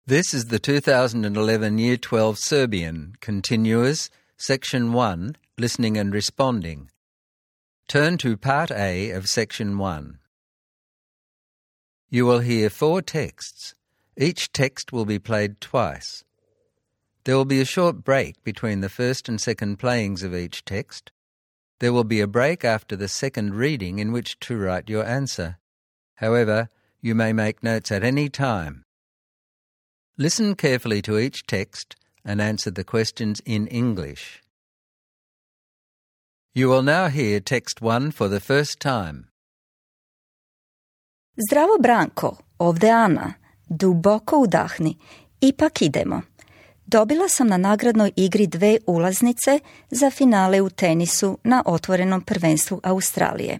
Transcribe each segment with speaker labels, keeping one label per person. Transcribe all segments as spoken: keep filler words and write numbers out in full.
Speaker 1: This is the two thousand eleven Year twelve Serbian, Continuous, Section one, Listening and Responding. Turn to Part A of Section one. You will hear four texts. Each text will be played twice. There will be a short break between the first and second playings of each text. There will be a break after the second reading in which to write your answer. However, you may make notes at any time. Listen carefully to each text and answer the questions in English. You will now hear text one for the first time.
Speaker 2: Zdravo Branko, ovde Ana. Duboko udahni. Ipak idemo. Dobila sam na nagradnoj igri dve ulaznice za finale u tenisu na otvorenom prvenstvu Australije.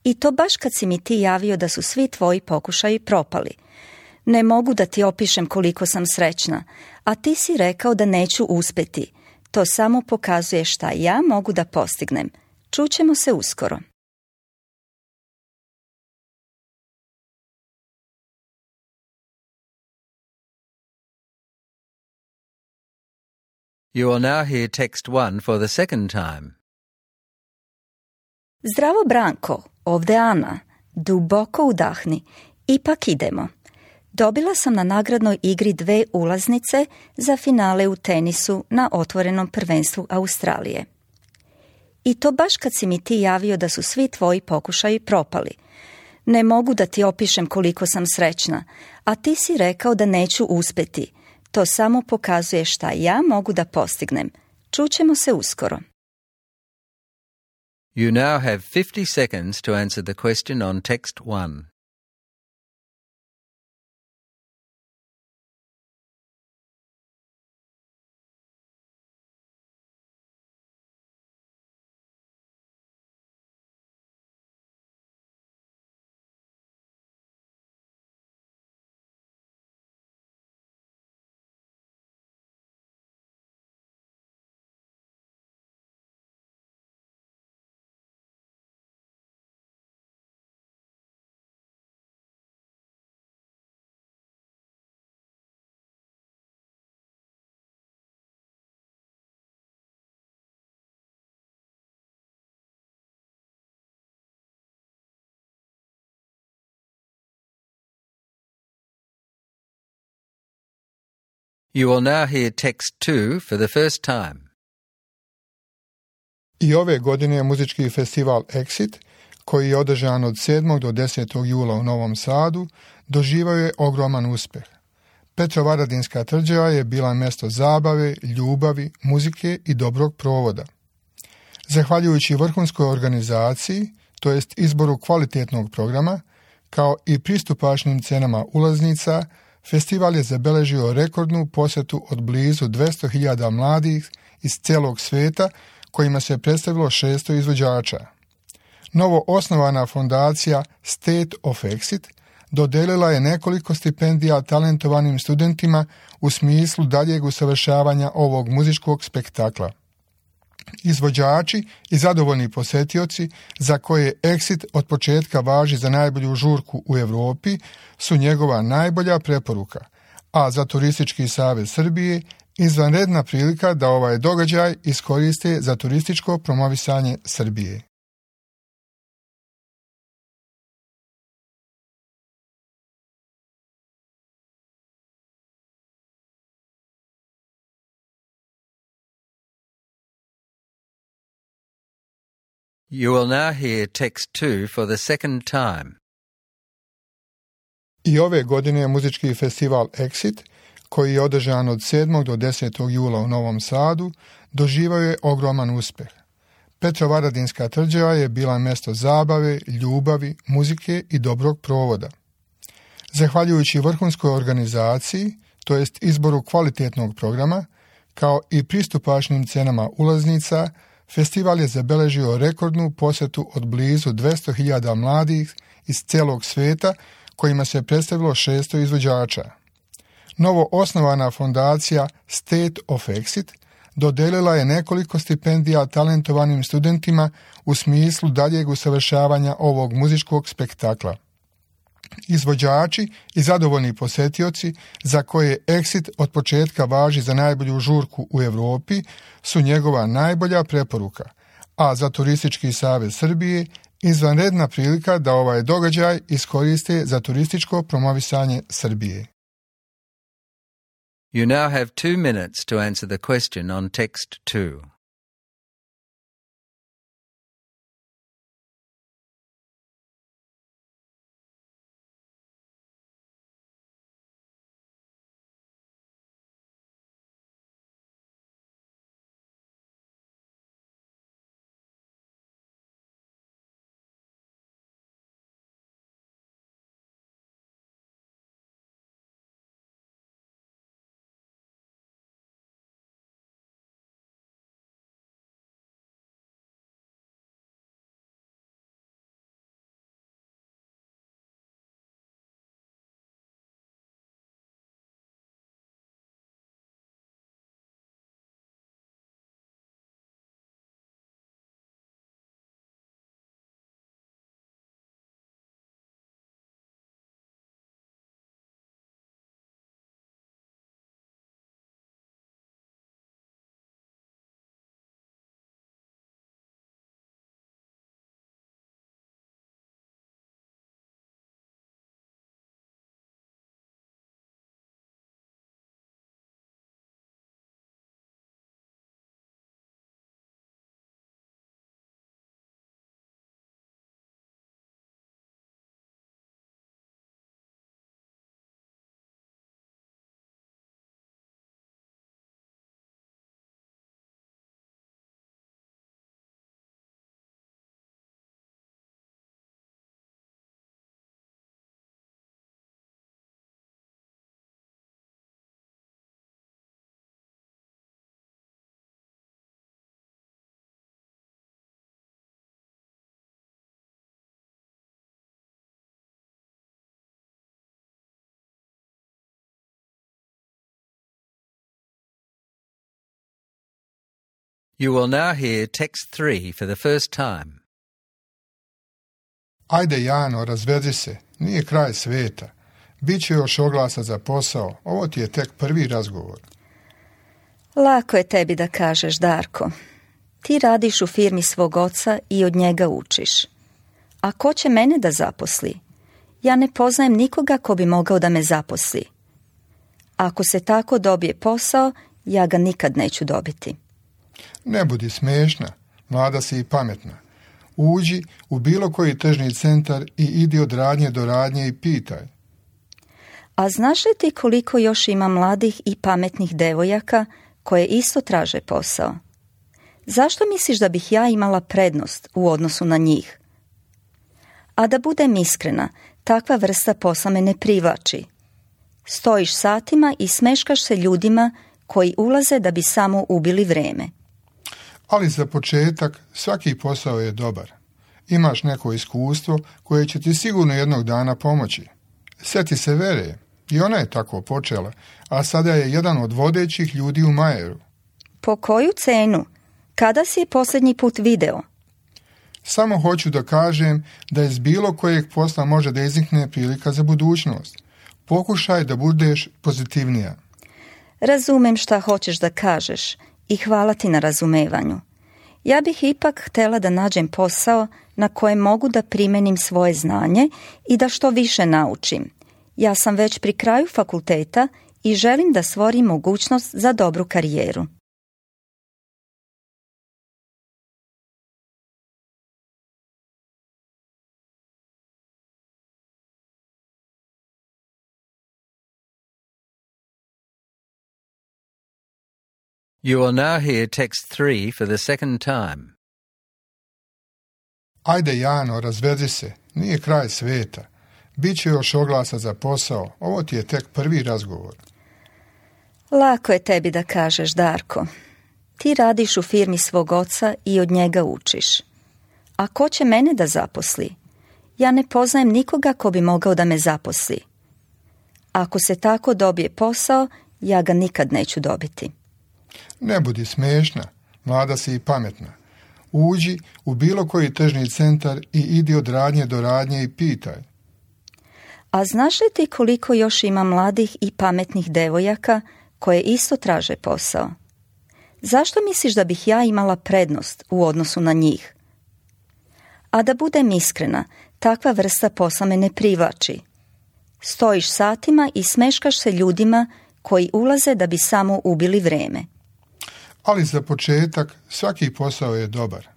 Speaker 2: I to baš kad si mi ti javio da su svi tvoji pokušaji propali. Ne mogu da ti opišem koliko sam srećna, a ti si rekao da neću uspeti. To samo pokazuje šta ja mogu da postignem. Čućemo se uskoro.
Speaker 1: You will now hear text one for the second time.
Speaker 2: Zdravo Branko, ovde Ana. Duboko udahni. Ipak idemo. Dobila sam na nagradnoj igri dve ulaznice za finale u tenisu na otvorenom prvenstvu Australije. I to baš kad si mi ti javio da su svi tvoji pokušaji propali. Ne mogu da ti opišem koliko sam srećna, a ti si rekao da neću uspeti. To samo pokazuje šta ja mogu da postignem. Čućemo se uskoro.
Speaker 1: You now have fifty seconds to answer the question on text one. You will now hear text two for the first time.
Speaker 3: I ove godine je muzički festival Exit, koji je održan od sedmog do desetog jula u Novom Sadu, doživio je ogroman uspeh. Petrovaradinska tvrđava je bila mjesto zabave, ljubavi, muzike i dobrog provoda. Zahvaljujući vrhunskoj organizaciji, to jest izboru kvalitetnog programa, kao i pristupačnim cenama ulaznica, festival je zabeležio rekordnu posjetu od blizu dvesta hiljada mladih iz cijelog svijeta, kojima se predstavilo šesto izvođača. Novo osnovana fondacija State of Exit dodelila je nekoliko stipendija talentovanim studentima u smislu daljeg usavršavanja ovog muzičkog spektakla. Izvođači i zadovoljni posjetioci, za koje Exit od početka važi za najbolju žurku u Europi, su njegova najbolja preporuka, a za Turistički savez Srbije izvanredna prilika da ovaj događaj iskoriste za turističko promovisanje Srbije.
Speaker 1: You will now hear text two for the second time.
Speaker 3: I ove godine je muzički festival Exit, koji je održan od sedmog do desetog jula u Novom Sadu, doživio je ogroman uspeh. Petrovaradinska tvrđava je bila mjesto zabave, ljubavi, muzike i dobrog provoda. Zahvaljujući vrhunskoj organizaciji, to jest izboru kvalitetnog programa, kao i pristupačnim cenama ulaznica, festival je zabeležio rekordnu posjetu od blizu dvesta hiljada mladih iz cijelog svijeta, kojima se predstavilo šesto izvođača. Novo osnovana fondacija State of Exit dodelila je nekoliko stipendija talentovanim studentima u smislu daljeg usavršavanja ovog muzičkog spektakla. Izvođači i zadovoljni posjetioci za koje Exit od početka važi za najbolju žurku u Europi su njegova najbolja preporuka, a za Turistički savez Srbije izvanredna prilika da ovaj događaj iskoriste za turističko promovisanje Srbije.
Speaker 1: You now have two minutes to answer the question on text two. You will now hear text three for the first time.
Speaker 3: Ajde, Jano, razvezi se. Nije kraj sveta. Biće još oglasa za posao. Ovo ti je tek prvi razgovor.
Speaker 2: Lako je tebi da kažeš, Darko. Ti radiš u firmi svog oca i od njega učiš. A ko će mene da zaposli? Ja ne poznajem nikoga ko bi mogao da me zaposli. Ako se tako dobije posao, ja ga nikad neću dobiti.
Speaker 3: Ne budi smiješna, mlada si i pametna. Uđi u bilo koji tržni centar i idi od radnje do radnje i pitaj.
Speaker 2: A znaš li ti koliko još ima mladih i pametnih devojaka koje isto traže posao? Zašto misliš da bih ja imala prednost u odnosu na njih? A da budem iskrena, takva vrsta posla me ne privlači. Stojiš satima i smeškaš se ljudima koji ulaze da bi samo ubili vreme.
Speaker 3: Ali za početak svaki posao je dobar. Imaš neko iskustvo koje će ti sigurno jednog dana pomoći. Sjeti se Vere, i ona je tako počela, a sada je jedan od vodećih ljudi u Majeru.
Speaker 2: Po koju cenu? Kada si je posljednji put video?
Speaker 3: Samo hoću da kažem da iz bilo kojeg posla može da iznikne prilika za budućnost. Pokušaj da budeš pozitivnija.
Speaker 2: Razumem šta hoćeš da kažeš i hvala ti na razumevanju. Ja bih ipak htjela da nađem posao na kojem mogu da primenim svoje znanje i da što više naučim. Ja sam već pri kraju fakulteta i želim da stvorim mogućnost za dobru karijeru.
Speaker 1: You will now hear text three for the second time.
Speaker 3: Ajde, Jano, razvezi se. Nije kraj sveta. Biće još oglasa za posao. Ovo ti je tek prvi razgovor.
Speaker 2: Lako je tebi da kažeš, Darko. Ti radiš u firmi svog oca i od njega učiš. A ko će mene da zaposli? Ja ne poznajem nikoga ko bi mogao da me zaposli. Ako se tako dobije posao, ja ga nikad neću dobiti.
Speaker 3: Ne budi smiješna, mlada si i pametna. Uđi u bilo koji tržni centar i idi od radnje do radnje i pitaj.
Speaker 2: A znaš li ti koliko još ima mladih i pametnih devojaka koje isto traže posao? Zašto misliš da bih ja imala prednost u odnosu na njih? A da budem iskrena, takva vrsta posla me ne privlači. Stojiš satima i smeškaš se ljudima koji ulaze da bi samo ubili vreme.
Speaker 3: Ali za početak svaki posao je dobar.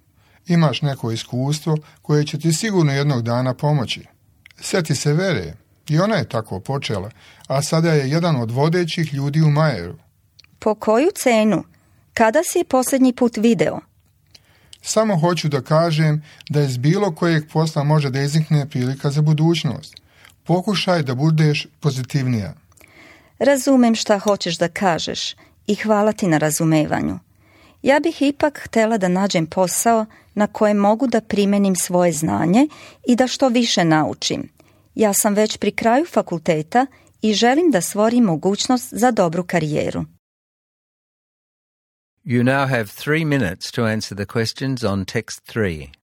Speaker 3: Imaš neko iskustvo koje će ti sigurno jednog dana pomoći. Sjeti se Vere, i ona je tako počela, a sada je jedan od vodećih ljudi u Majeru.
Speaker 2: Po koju cenu? Kada si je posljednji put video?
Speaker 3: Samo hoću da kažem da iz bilo kojeg posla može da iznikne prilika za budućnost. Pokušaj da budeš pozitivnija.
Speaker 2: Razumem šta hoćeš da kažeš i hvala ti na razumevanju. Ja bih ipak htjela da nađem posao na kojem mogu da primenim svoje znanje i da što više naučim. Ja sam već pri kraju fakulteta i želim da stvorim mogućnost za dobru karijeru.
Speaker 1: You now have three minutes to answer the questions on text three.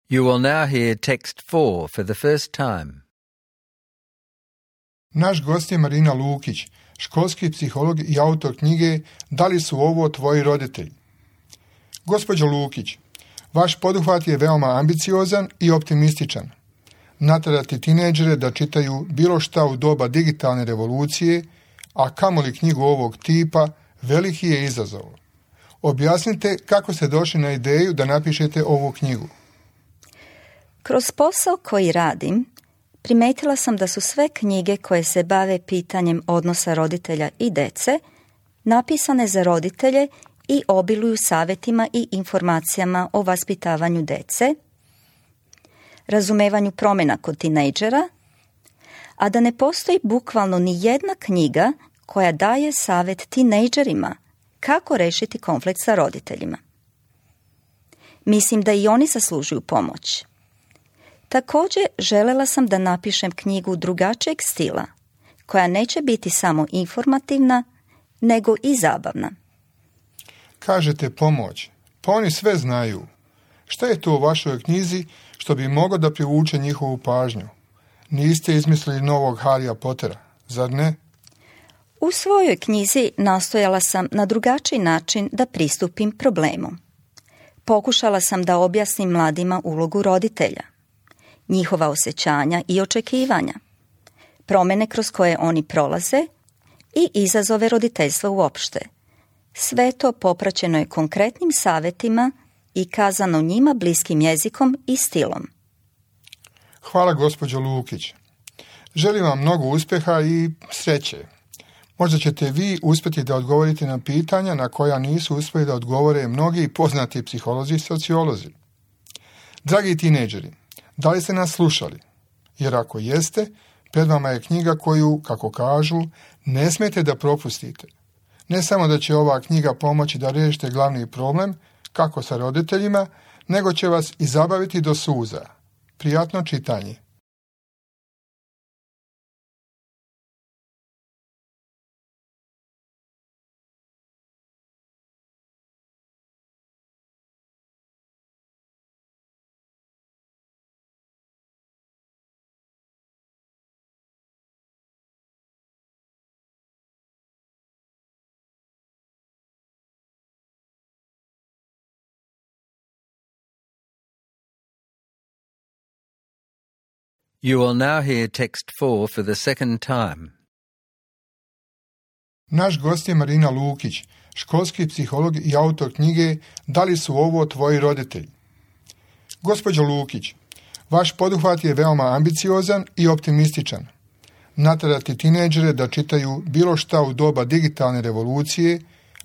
Speaker 1: You will now hear text four for the first time.
Speaker 3: Naš gost je Marina Lukić, školski psiholog i autor knjige Da li su ovo tvoji roditelji? Gospođo Lukić, vaš poduhvat je veoma ambiciozan i optimističan. Naterati tinejdžere da čitaju bilo šta u doba digitalne revolucije, a kamoli knjigu ovog tipa, veliki je izazov. Objasnite kako ste došli na ideju da napišete ovu knjigu.
Speaker 2: Kroz posao koji radim, primetila sam da su sve knjige koje se bave pitanjem odnosa roditelja i dece napisane za roditelje i obiluju savjetima i informacijama o vaspitavanju dece, razumevanju promjena kod tinejdžera, a da ne postoji bukvalno ni jedna knjiga koja daje savjet tinejdžerima kako rešiti konflikt sa roditeljima. Mislim da i oni zaslužuju pomoć. Također želela sam da napišem knjigu drugačijeg stila, koja neće biti samo informativna, nego i zabavna.
Speaker 3: Kažete pomoć, pa oni sve znaju. Šta je to u vašoj knjizi što bi moglo da privuče njihovu pažnju? Niste izmislili novog Harrya Pottera, zar ne?
Speaker 2: U svojoj knjizi nastojala sam na drugačiji način da pristupim problemu. Pokušala sam da objasnim mladima ulogu roditelja, njihova osjećanja i očekivanja, promjene kroz koje oni prolaze i izazove roditeljstva uopšte. Sve to popraćeno je konkretnim savjetima i kazano njima bliskim jezikom i stilom.
Speaker 3: Hvala gospođo Lukić. Želim vam mnogo uspjeha i sreće. Možda ćete vi uspjeti da odgovorite na pitanja na koja nisu uspjeli da odgovore mnogi poznati psiholozi i sociolozi. Dragi tinejdžeri, da li ste nas slušali? Jer ako jeste, pred vama je knjiga koju, kako kažu, ne smijete da propustite. Ne samo da će ova knjiga pomoći da riješite glavni problem, kako sa roditeljima, nego će vas i zabaviti do suza. Prijatno čitanje.
Speaker 1: You will now hear text four for the second time.
Speaker 3: Naš gost je Marina Lukić, školski psiholog i autor knjige Da li su ovo tvoji roditelji? Gospođo Lukić, vaš poduhvat je veoma ambiciozan i optimističan. Naterati tinejdžere da čitaju bilo šta u doba digitalne revolucije,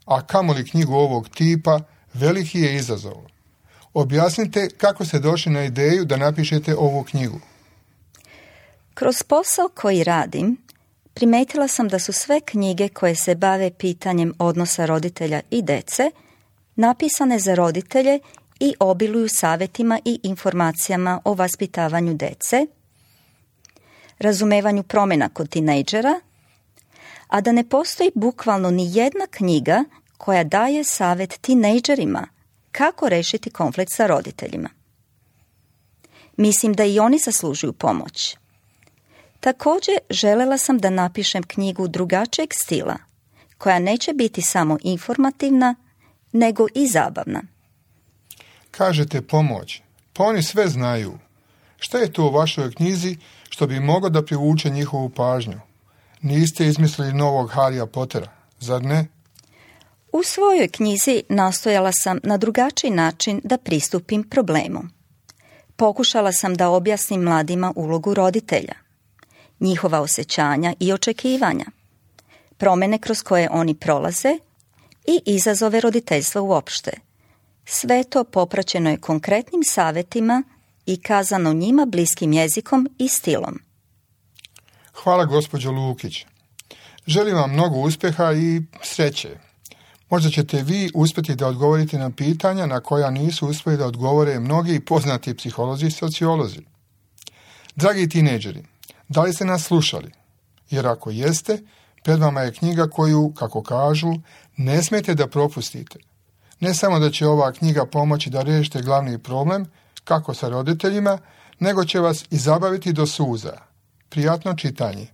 Speaker 3: a kamoli knjigu ovog tipa, veliki je izazov. Objasnite kako ste došli na ideju da napišete ovu knjigu.
Speaker 2: Kroz posao koji radim, primetila sam da su sve knjige koje se bave pitanjem odnosa roditelja i dece napisane za roditelje i obiluju savjetima i informacijama o vaspitavanju dece, razumevanju promjena kod tinejdžera, a da ne postoji bukvalno ni jedna knjiga koja daje savjet tinejdžerima kako rešiti konflikt sa roditeljima. Mislim da i oni zaslužuju pomoć. Također želela sam da napišem knjigu drugačijeg stila, koja neće biti samo informativna, nego i zabavna.
Speaker 3: Kažete pomoć, pa oni sve znaju. Šta je to u vašoj knjizi što bi moglo da privuče njihovu pažnju? Niste izmislili novog Harrya Pottera, zar ne?
Speaker 2: U svojoj knjizi nastojala sam na drugačiji način da pristupim problemu. Pokušala sam da objasnim mladima ulogu roditelja, njihova osjećanja i očekivanja, promjene kroz koje oni prolaze i izazove roditeljstva uopšte. Sve to popraćeno je konkretnim savjetima i kazano njima bliskim jezikom i stilom.
Speaker 3: Hvala gospođo Lukić. Želim vam mnogo uspjeha i sreće. Možda ćete vi uspjeti da odgovorite na pitanja na koja nisu uspjeli da odgovore mnogi poznati psiholozi i sociolozi. Dragi tinejdžeri, da li ste nas slušali? Jer ako jeste, pred vama je knjiga koju, kako kažu, ne smijete da propustite. Ne samo da će ova knjiga pomoći da riješite glavni problem, kako sa roditeljima, nego će vas i zabaviti do suza. Prijatno čitanje.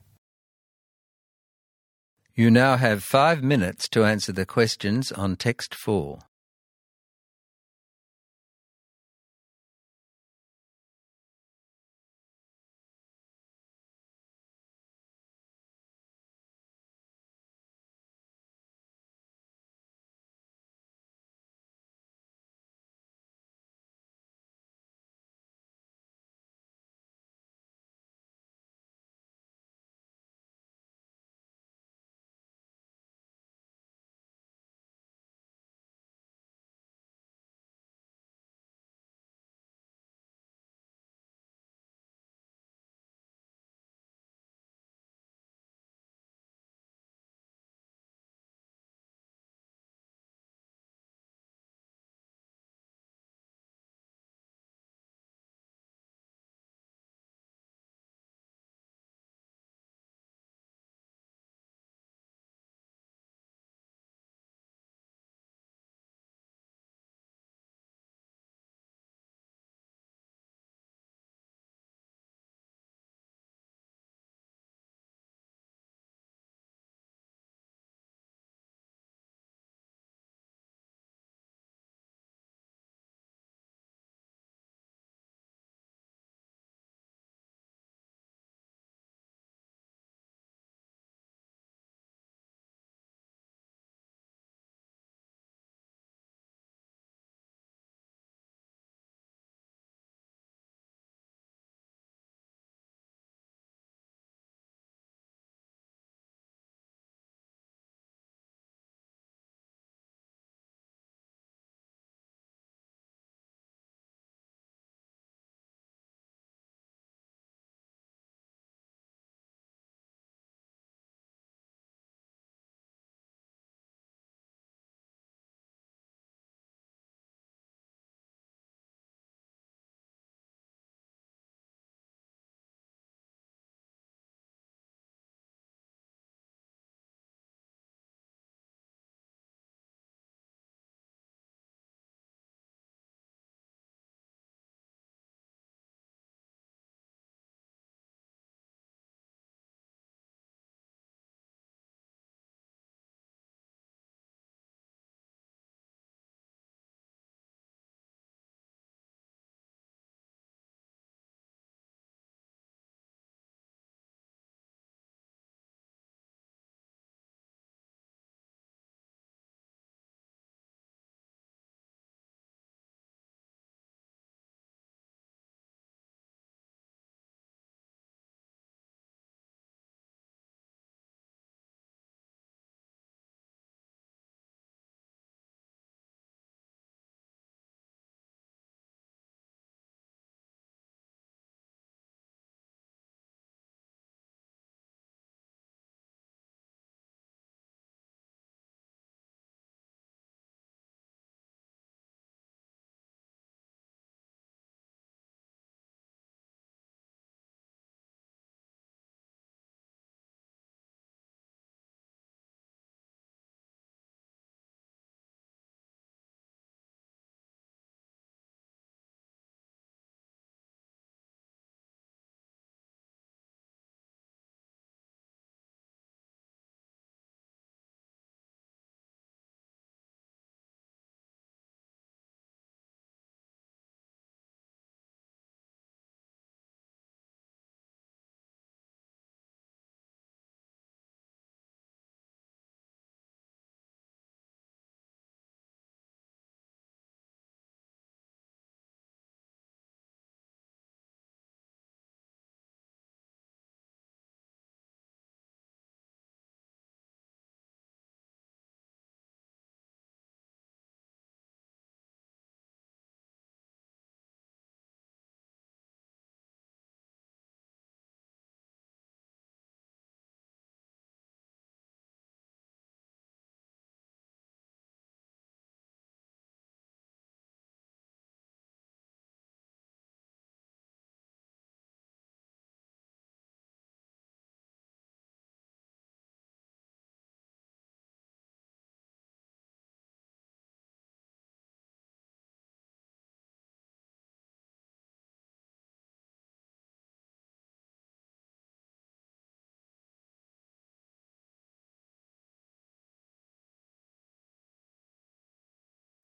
Speaker 1: You now have five minutes to answer the questions on text four.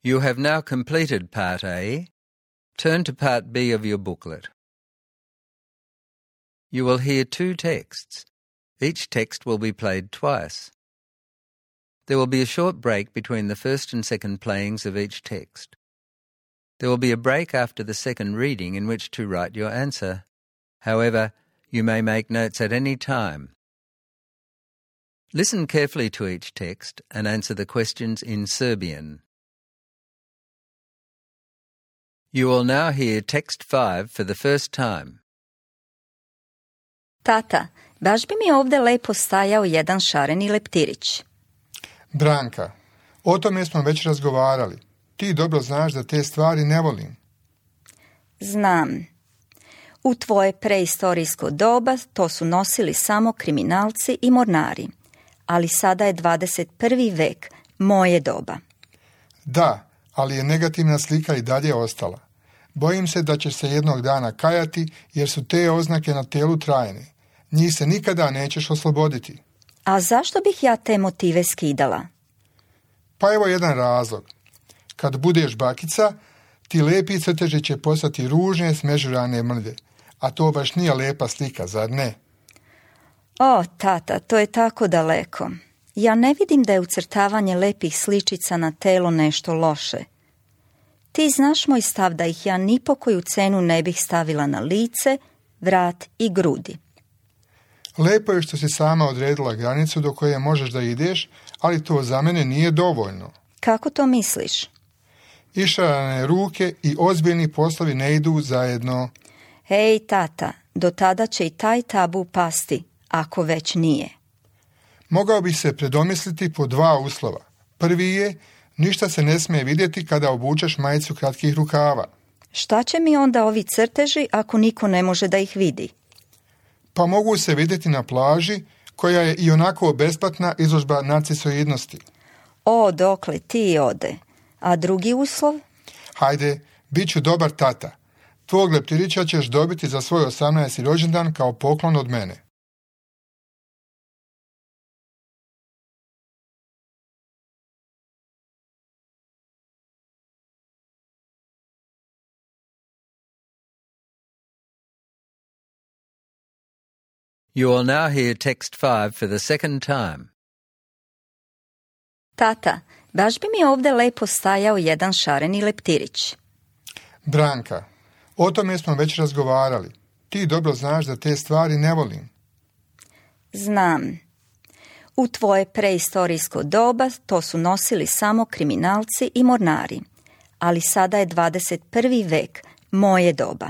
Speaker 1: You have now completed Part A. Turn to Part B of your booklet. You will hear two texts. Each text will be played twice. There will be a short break between the first and second playings of each text. There will be a break after the second reading in which to write your answer. However, you may make notes at any time. Listen carefully to each text and answer the questions in Serbian. You will now hear text five for the first time.
Speaker 2: Tata, baš bi mi ovdje lepo stajao jedan šareni leptirić.
Speaker 3: Branka, o tome smo već razgovarali. Ti dobro znaš da te stvari ne volim.
Speaker 2: Znam. U tvoje preistorijsko doba to su nosili samo kriminalci i mornari. Ali sada je dvadeset prvi vek, moje doba.
Speaker 3: Da, ali je negativna slika i dalje ostala. Bojim se da ćeš se jednog dana kajati jer su te oznake na telu trajne. Njih se nikada nećeš osloboditi.
Speaker 2: A zašto bih ja te motive skidala?
Speaker 3: Pa evo jedan razlog. Kad budeš bakica, ti lepi crteži će postati ružne smežurane mrlje. A to baš nije lepa slika, zar ne?
Speaker 2: O, tata, to je tako daleko. Ja ne vidim da je ucrtavanje lepih sličica na telo nešto loše. Ti znaš moj stav da ih ja ni po koju cenu ne bih stavila na lice, vrat i grudi.
Speaker 3: Lepo je što si sama odredila granicu do koje možeš da ideš, ali to za mene nije dovoljno.
Speaker 2: Kako to misliš?
Speaker 3: Išarane ruke i ozbiljni poslovi ne idu zajedno.
Speaker 2: Hej, tata, do tada će i taj tabu pasti, ako već nije.
Speaker 3: Mogao bi se predomisliti po dva uslova. Prvi je, ništa se ne smije vidjeti kada obučeš majicu kratkih rukava.
Speaker 2: Šta će mi onda ovi crteži ako niko ne može da ih vidi?
Speaker 3: Pa mogu se vidjeti na plaži, koja je i onako besplatna izložba narcisoidnosti.
Speaker 2: O, dokle ti ode. A drugi uslov?
Speaker 3: Hajde, bit ću dobar tata. Tvog leptirića ćeš dobiti za svoj osamnaesti rođendan kao poklon od mene.
Speaker 1: You will now hear text five for the second time.
Speaker 2: Tata, baš bi mi ovdje lepo stajao jedan šareni leptirić.
Speaker 3: Branka, o tome smo već razgovarali. Ti dobro znaš da te stvari ne volim.
Speaker 2: Znam. U tvoje preistorijsko doba to su nosili samo kriminalci i mornari. Ali sada je dvadeset prvi vek, moje doba.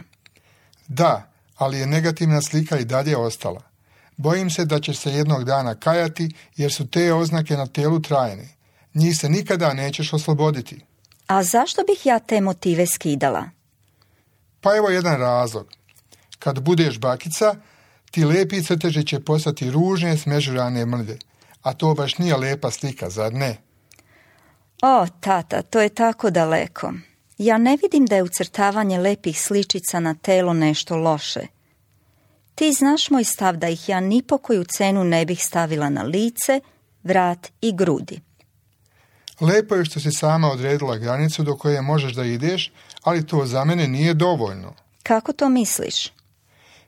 Speaker 3: Da, ali je negativna slika i dalje ostala. Bojim se da ćeš se jednog dana kajati jer su te oznake na telu trajne. Njih se nikada nećeš osloboditi.
Speaker 2: A zašto bih ja te motive skidala?
Speaker 3: Pa evo jedan razlog. Kad budeš bakica, ti lepi crteži će postati ružne smežurane mrlje. A to baš nije lepa slika, zar ne?
Speaker 2: O, tata, to je tako daleko. Ja ne vidim da je ucrtavanje lepih sličica na telo nešto loše. Ti znaš moj stav da ih ja ni po koju cenu ne bih stavila na lice, vrat i grudi.
Speaker 3: Lepo je što si sama odredila granicu do koje možeš da ideš, ali to za mene nije dovoljno.
Speaker 2: Kako to misliš?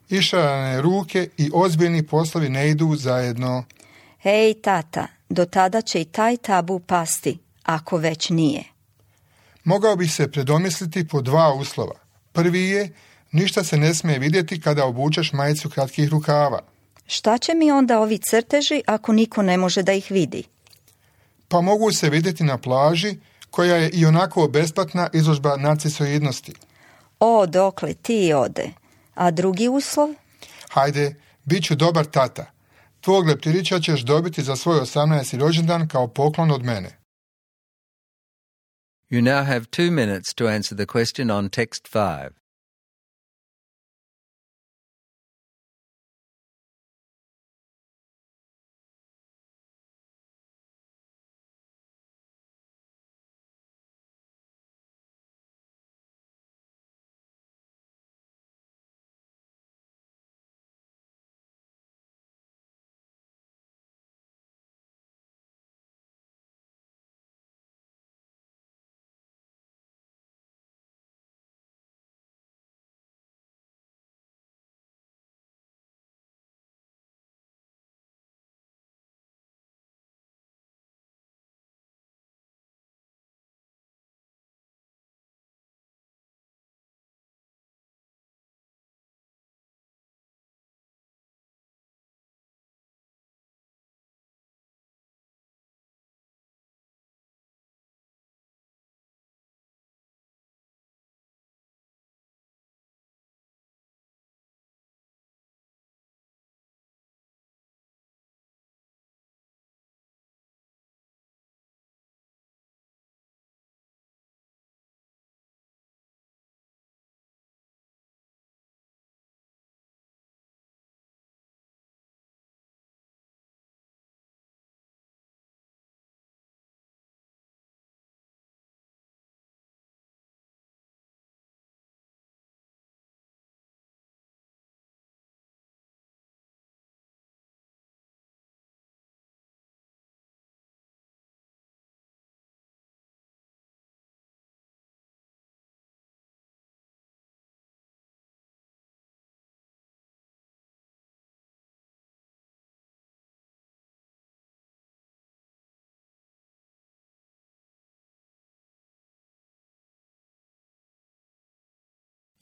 Speaker 3: Išarane ruke i ozbiljni poslovi ne idu zajedno.
Speaker 2: Hej, tata, do tada će i taj tabu pasti, ako već nije.
Speaker 3: Mogao bi se predomisliti po dva uslova. Prvi je, ništa se ne smije vidjeti kada obučeš majicu kratkih rukava.
Speaker 2: Šta će mi onda ovi crteži ako niko ne može da ih vidi?
Speaker 3: Pa mogu se vidjeti na plaži, koja je i onako besplatna izložba narcisoidnosti.
Speaker 2: O, dokle ti ode. A drugi uslov?
Speaker 3: Hajde, bit ću dobar tata. Tvog leptirića ćeš dobiti za svoj osamnaesti rođendan kao poklon od mene.
Speaker 1: You now have two minutes to answer the question on text five.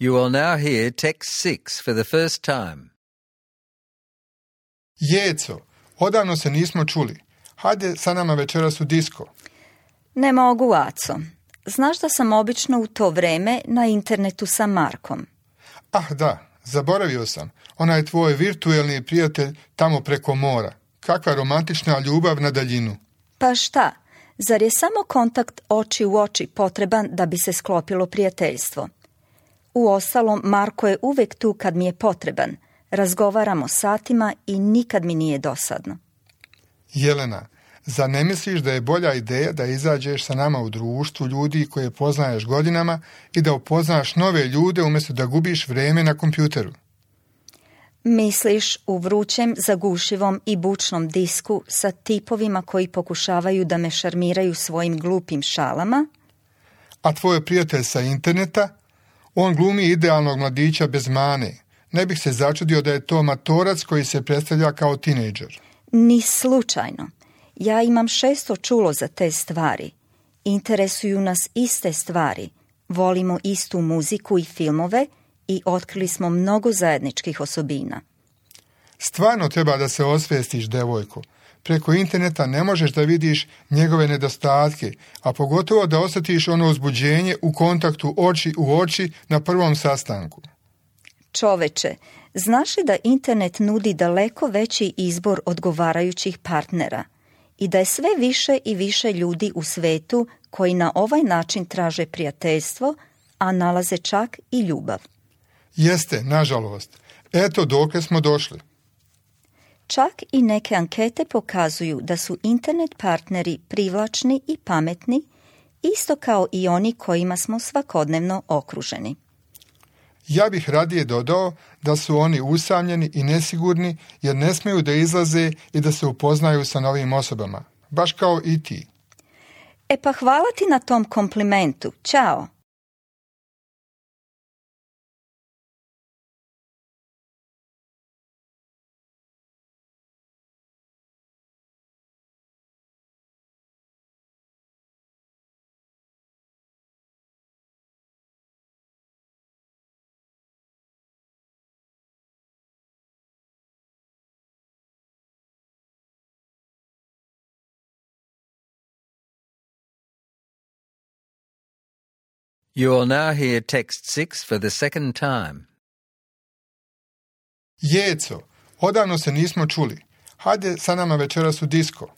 Speaker 1: You will now hear text six for the first time.
Speaker 3: Jeco, odavno se nismo čuli. Hajde sa nama večeras u disko.
Speaker 2: Ne mogu, Aco. Znaš da sam obično u to vreme na internetu sa Markom.
Speaker 3: Ah da, zaboravio sam. Onaj tvoj virtuelni prijatelj tamo preko mora. Kakva romantična ljubav na daljinu.
Speaker 2: Pa šta? Zar je samo kontakt oči u oči potreban da bi se sklopilo prijateljstvo? Uostalom, Marko je uvek tu kad mi je potreban. Razgovaramo satima i nikad mi nije dosadno.
Speaker 3: Jelena, zar ne misliš da je bolja ideja da izađeš sa nama u društvu ljudi koje poznaješ godinama i da upoznaš nove ljude umjesto da gubiš vreme na kompjuteru?
Speaker 2: Misliš u vrućem, zagušivom i bučnom disku sa tipovima koji pokušavaju da me šarmiraju svojim glupim šalama?
Speaker 3: A tvoj prijatelj sa interneta? On glumi idealnog mladića bez mane. Ne bih se začudio da je to matorac koji se predstavlja kao tinejdžer.
Speaker 2: Ni slučajno. Ja imam šesto čulo za te stvari. Interesuju nas iste stvari. Volimo istu muziku i filmove i otkrili smo mnogo zajedničkih osobina.
Speaker 3: Stvarno treba da se osvestiš, devojko. Preko interneta ne možeš da vidiš njegove nedostatke, a pogotovo da osjetiš ono uzbuđenje u kontaktu oči u oči na prvom sastanku.
Speaker 2: Čoveče, znaš li da internet nudi daleko veći izbor odgovarajućih partnera i da je sve više i više ljudi u svetu koji na ovaj način traže prijateljstvo, a nalaze čak i ljubav?
Speaker 3: Jeste, nažalost. Eto dokle smo došli.
Speaker 2: Čak i neke ankete pokazuju da su internet partneri privlačni i pametni, isto kao i oni kojima smo svakodnevno okruženi.
Speaker 3: Ja bih radije dodao da su oni usamljeni i nesigurni jer ne smiju da izlaze i da se upoznaju sa novim osobama, baš kao i ti.
Speaker 2: E pa hvala ti na tom komplimentu. Ćao!
Speaker 1: You will now hear text six for the second time.
Speaker 3: Jeco, odavno se nismo čuli. Hajde sa nama večeras u disko.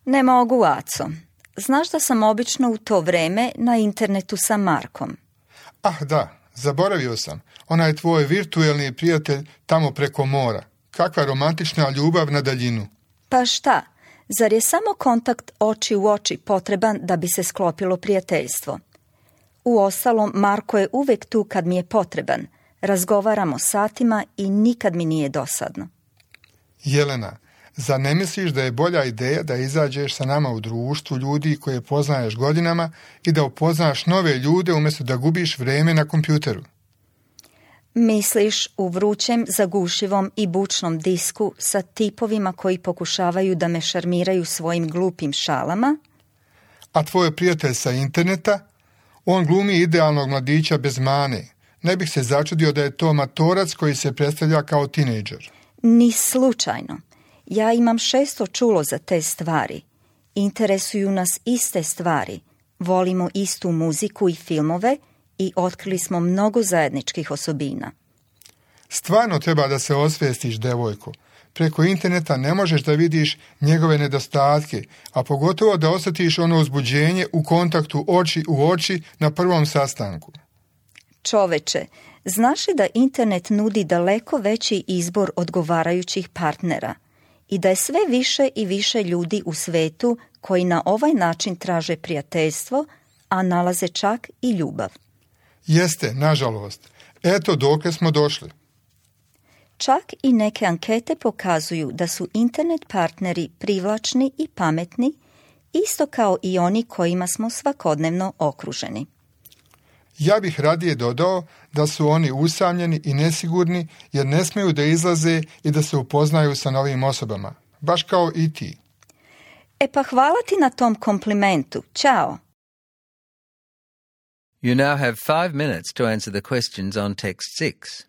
Speaker 2: Ne mogu, Aco. Znaš da sam obično u to vreme na internetu sa Markom.
Speaker 3: Ah da, zaboravio sam. Onaj tvoj virtuelni prijatelj tamo preko mora. Kakva romantična ljubav na daljinu.
Speaker 2: Pa šta? Zar je samo kontakt oči u oči potreban da bi se sklopilo prijateljstvo? Uostalom, Marko je uvek tu kad mi je potreban. Razgovaramo satima i nikad mi nije dosadno.
Speaker 3: Jelena, zar ne misliš da je bolja ideja da izađeš sa nama u društvu ljudi koje poznaješ godinama i da upoznaš nove ljude umjesto da gubiš vreme na kompjuteru?
Speaker 2: Misliš u vrućem, zagušivom i bučnom disku sa tipovima koji pokušavaju da me šarmiraju svojim glupim šalama?
Speaker 3: A tvoj prijatelj sa interneta? On glumi idealnog mladića bez mane. Ne bih se začudio da je to matorac koji se predstavlja kao tinejdžer.
Speaker 2: Ni slučajno. Ja imam šesto čulo za te stvari. Interesuju nas iste stvari. Volimo istu muziku i filmove i otkrili smo mnogo zajedničkih osobina.
Speaker 3: Stvarno treba da se osvestiš, devojko. Preko interneta ne možeš da vidiš njegove nedostatke, a pogotovo da osjetiš ono uzbuđenje u kontaktu oči u oči na prvom sastanku.
Speaker 2: Čoveče, znaš li da internet nudi daleko veći izbor odgovarajućih partnera i da je sve više i više ljudi u svetu koji na ovaj način traže prijateljstvo, a nalaze čak i ljubav?
Speaker 3: Jeste, nažalost. Eto dokle smo došli.
Speaker 2: Čak i neke ankete pokazuju da su internet partneri privlačni i pametni, isto kao i oni kojima smo svakodnevno okruženi.
Speaker 3: Ja bih radije dodao da su oni usamljeni i nesigurni jer ne smiju da izlaze i da se upoznaju sa novim osobama, baš kao i ti.
Speaker 2: E pa hvala ti na tom komplimentu. Ćao!
Speaker 1: You now have five minutes to answer the questions on text six.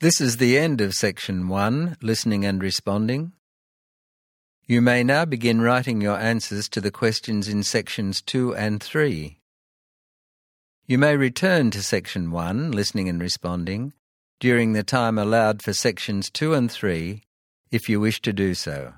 Speaker 1: This is the end of Section one, Listening and Responding. You may now begin writing your answers to the questions in Sections two and three. You may return to Section one, Listening and Responding, during the time allowed for Sections two and three, if you wish to do so.